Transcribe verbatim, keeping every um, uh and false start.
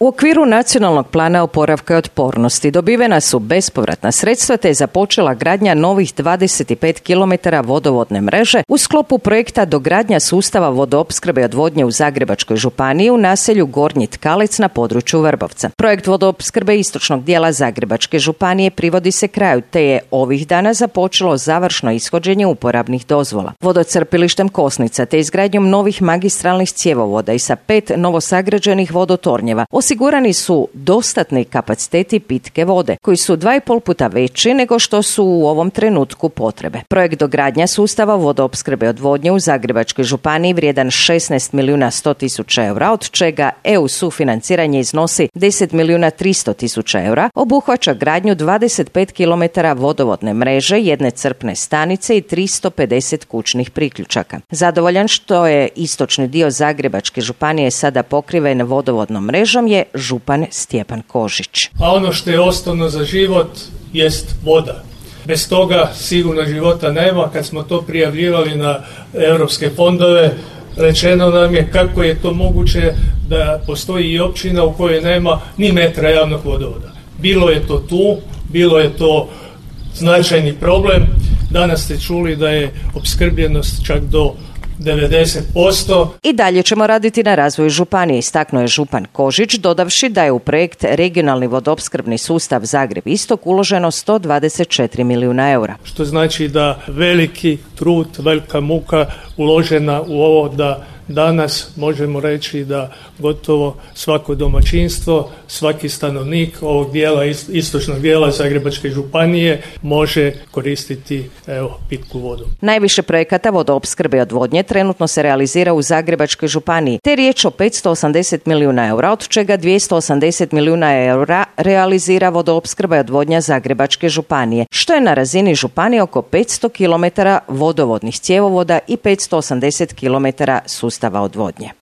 U okviru Nacionalnog plana oporavka i otpornosti dobivena su bespovratna sredstva te je započela gradnja novih dvadeset pet kilometara vodovodne mreže u sklopu projekta dogradnja sustava vodoopskrbe i odvodnje u Zagrebačkoj županiji u naselju Gornji Tkalec na području Vrbovca. Projekt vodoopskrbe istočnog dijela Zagrebačke županije privodi se kraju te je ovih dana započelo završno ishođenje uporabnih dozvola. Vodocrpilištem Kosnica te izgradnjom novih magistralnih cjevovoda i sa pet novosagrađenih vodotornjeva osigurani su dostatni kapaciteti pitke vode, koji su dva i pol puta veći nego što su u ovom trenutku potrebe. Projekt dogradnja sustava vodoopskrbe i odvodnje u Zagrebačkoj županiji vrijedan šesnaest milijuna sto tisuća eura, od čega E U sufinanciranje iznosi deset milijuna tristo tisuća eura, obuhvaća gradnju dvadeset pet kilometara vodovodne mreže, jedne crpne stanice i tristo pedeset kućnih priključaka. Zadovoljan što je istočni dio Zagrebačke županije sada pokriven vodovodnom mrežom je župan Stjepan Kožić. A ono što je osnovno za život jest voda. Bez toga sigurno života nema. Kad smo to prijavljivali na europske fondove, rečeno nam je kako je to moguće da postoji i općina u kojoj nema ni metra javnog vodovoda. Bilo je to tu, bilo je to značajni problem. Danas ste čuli da je opskrbljenost čak do devedeset posto. I dalje ćemo raditi na razvoju županije, istaknuo je župan Kožić, dodavši da je u projekt regionalni vodoopskrbni sustav Zagreb Istok uloženo sto dvadeset četiri milijuna eura. Što znači da veliki trud, velika muka uložena u ovo da danas možemo reći da gotovo svako domaćinstvo, svaki stanovnik ovog dijela, istočnog dijela Zagrebačke županije može koristiti evo, pitku vodu. Najviše projekata vodoopskrbe i odvodnje trenutno se realizira u Zagrebačkoj županiji, te riječ o petsto osamdeset milijuna eura, od čega dvjesto osamdeset milijuna eura realizira vodoopskrba i odvodnja Zagrebačke županije, što je na razini županije oko petsto kilometara vodovodnih cjevovoda i petsto osamdeset kilometara sustava odvodnje.